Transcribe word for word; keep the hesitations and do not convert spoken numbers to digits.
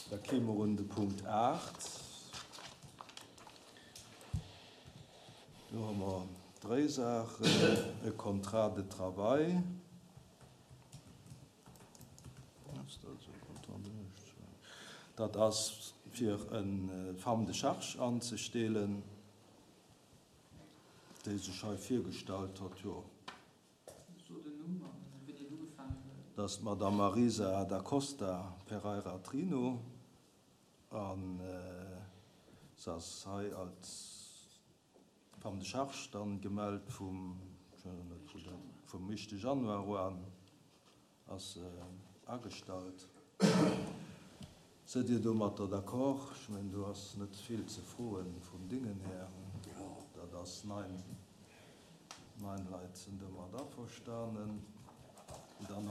Da kéime mer un de Punkt aacht. Do hu mer dréi Saachen, e Contrat de travail, dat ass fir e Femme de charge anzestelen, déi sech hei virgestallt huet, jo. Dat ass d'Madame Marisa Da Costa Pereira Trino a se ass hei als Femme de charge dann gemellt vum, ech weess net wou dat, vum éischte Januar uan ass se agestallt. Sidd Dir domatter d'accord? Ech mengen, do ass net vill ze froen vum Dingen här. Dat ass nein, nein Leit sinn domat averstanen. Dann.